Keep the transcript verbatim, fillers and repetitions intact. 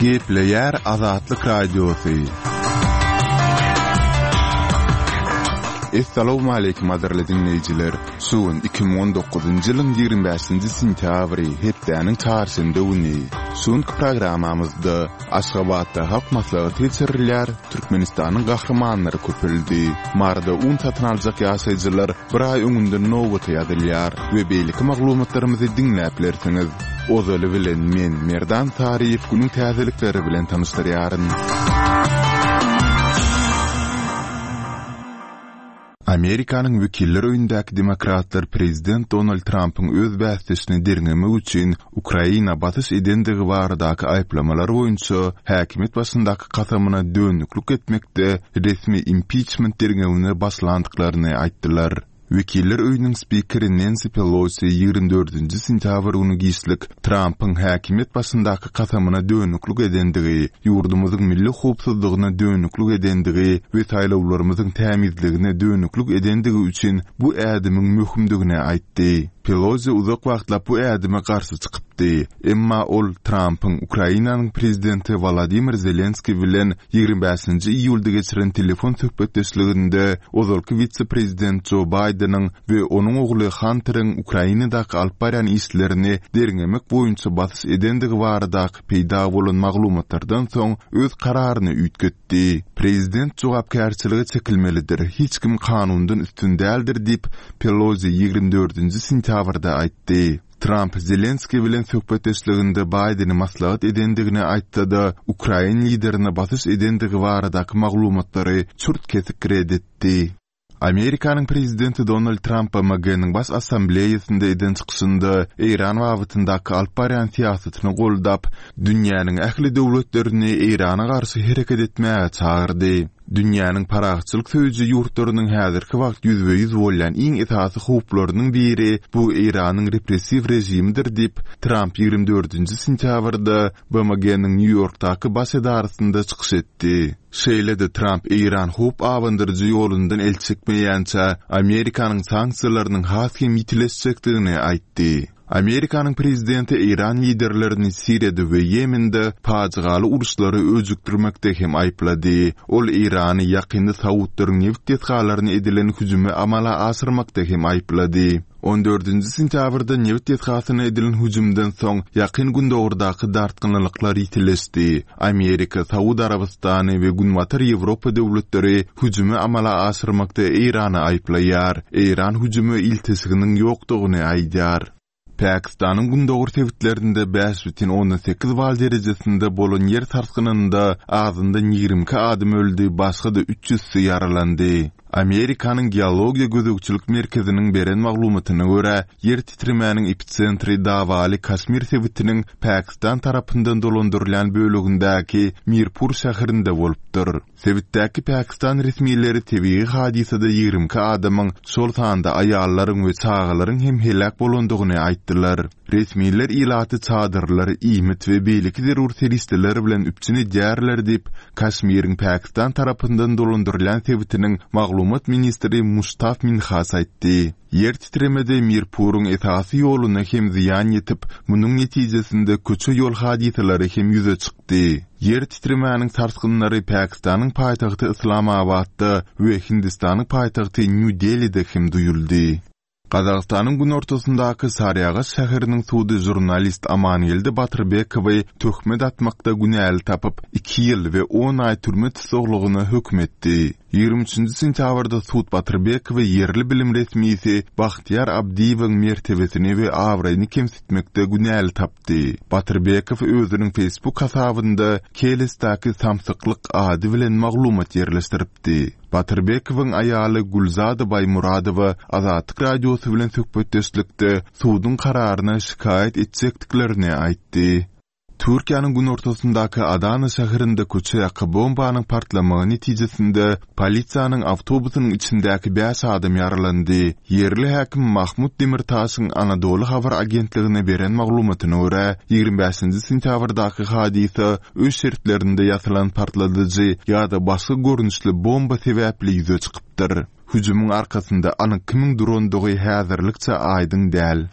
Gepleýär Azatlyk Radiosy. Essalawmaleýkim gadyrly diňleýjiler! Şu gün iki müň on dokuzynjy ýylyň ýigrimi bäşinji sentýabry, hepdäniň çarşenbe güni. Şu günki programmamyzda Aşgabatda Halk Maslahaty geçirilýär, Türkmenistanyň gahrymanlary köpeldi, Maryda un satyn aljak ýaşaýjylar bir aý öňünden nobata ýazylýar we beýleki maglumatlarymyzy diňläp bilersiňiz. Ozaly bilen men, Merdan Saryýew günüň täzelikleri bilen tanyşdyrýaryn. Amerikanyň Wekiller öýündäki demokratlar prezident Donald Trampyň öz bäsdeşini derňemek üçin Ukraina basyş edendigi baradaky aýyplamalar boýunça häkimiýet başyndaky kasamyna dönüklik etmekde resmi impiçment derňewine başlandyklaryny aýtdylar. Wekiller öýüniň spikeri Nensi Pelosi ýigrimi dördünji sentýabr güni giçlik Trampyň häkimiýet başyndaky kasamyna dönüklik edendigi, ýurdumyzyň milli howpsuzlygyna dönüklik edendigi we saýlawlarymyzyň tämizligine dönüklik edendigi üçin bu ädimiň möhümdigini aýtdy. Pelosi uzak wagtlap bu ädime garşy çykypdy. Emma ol Trampyň Ukrainanyň prezidenti Wolodymyr Zelenskiý bilen ýigrimi bäşinji iýulda geçiren telefon söhbetdeşliginde ozalky wise-prezident Jo Baýdeniň we onuň ogly Hanteriň Ukrainadaky alyp barýan işlerini derňemek boýunça basyş edendigi baradaky peýda bolan maglumatlardan soň öz kararyny üýtgetdi. Prezident jogapkärçilige çekilmelidir, hiç kim kanundan üstün däldir diýip, Pelosi ýigrimi dördünji sentýabrda aýtdy. Tramp Zelenskiý bilen söhbetdeşliginde Baýdeni maslahat edendigini aýtsa-da, ukrain liderine basyş edendigi baradaky maglumatlary çürt-kesik ret etdi. Amerikanyň prezidenti Donald Tramp B M G-niň Baş Assambleýasynda eden çykyşynda Eýran babatyndaky alyp barýan syýasatyny goldap, dünýäniň ähli döwletlerini Eýrana garşy hereket etmäge çagyrdy. Dünýäniň parahatçylyk söýüji ýurtlarynyň häzirki wagt ýüzbe-ýüz bolýan iň esasy howplarynyň biri bu Eýranyň repressiw režimidir diýip, Tramp ýigrimi dördünji sentýabrda B M G-niň Nýu-Ýorkdaky baş edarasynda çykyş etdi. Şeýle-de Tramp Eýran howp abandyryjy ýolundan el çekmeýänçä Amerikanyň sanksiýalarynyň has hem ýitileşjekdigini aýtdy. Amerikanyň prezidenti Eýran liderlerini Siriýada we Ýemende pajygaly uruşlary öjükdirmekde hem aýyplady. Ol Eýrany ýakynda Saudlaryň nebit desgalaryna edilen hüjümi amala aşyrmakda hem aýyplady. On dördünji sentýabrda nebit desgasyna edilen hüjümden soň Ýakyn Gündogardaky dartgynlyklar ýitileşdi. Amerika, Saud Arabystany we Günbatar Ýewropa döwletleri hüjümi amala aşyrmakda Eýrany aýyplaýar. Eýran hüjüme ilteşiginiň ýokdugyny aýdýar. Pakistanyň gündogar sebitlerinde bäş bütin ondan sekiz bal derejesinde bolan ýer sarsgynynda azyndan ýigrimi iki adam öldi, başga-da üç ýüzsi ýaralandy. Amerikanyň Geologiýa gözegçilik merkeziniň beren maglumatyna görä, ýer titremäniň epitsentri dawaly Kaşmir sebitiniň Pakistan tarapyndan dolandyrylýan bölegindäki Mirpur şäherinde bolupdyr. Sebitdäki Pakistan resmileri tebigy hadysada ýigrimi iki adamyň, şol sanda aýallaryň we çagalaryň hem heläk bolandygyny aýtdylar. Resmiler ilaty çadyrlar, iýmit we beýleki zerur serişdeler bilen üpjün edýärler diýip, Kaşmiriň Pakistan tarapyndan dolandyrylýan sebitiniň maglumat ministri Muştaf Minhas aýtdy. Ýer titremede Mirpuryň esasy ýoluna hem zyýan ýetip, munuň netijesinde köçe ýol hadysalary hem ýüze çykdy. Ýer titremäniň sarsgynlary Pakistanyň paýtagty Yslamabatda we Hindistanyň paýtagty Nýu-Delide hem duýuldy. Gazagystanyň günortasyndaky Saryagaş şäheriniň sudy žurnalist Amangeldi Batyrbekowy töhmet atmakda günäli tapyp, iki ýyl we on aý türme tussaglygyna höküm etdi. Ýigrimi üçünji sentýabrda sud Batyrbekowy ýerli bilim resmisi Bahtiýar Abdiýewiň mertebesini we abraýyny kemsitmekde günäli tapdy. Batyrbekow özüniň Facebook hasabynda Kelesdäki samsyklyk ady bilen maglumat ýerleşdiripdi. Batyrbekowyň aýaly Gülzada Baýmuradowa Azatlyk Radiosy bilen söhbetdeşlikde suduň kararyna şikaýat etjekdiklerini aýtdy. Türkiýäniň günortasyndaky Adana şäherinde köçe ýaka bombanyň partlamagy netijesinde polisiýanyň awtobusynyň içindäki bäş adam ýaralandy. Ýerli häkim Mahmut Demirtaşyň Anadolu habar agentligine beren maglumatyna görä, ýigrimi bäşinji sentýabrdaky hadysa öý şertlerinde ýasalan partladyjy ýa-da başga görnüşli bomba sebäpli ýüze çykypdyr. Hüjümiň arkasynda anyk kimiň durandygy häzirlikçe aýdyň däl.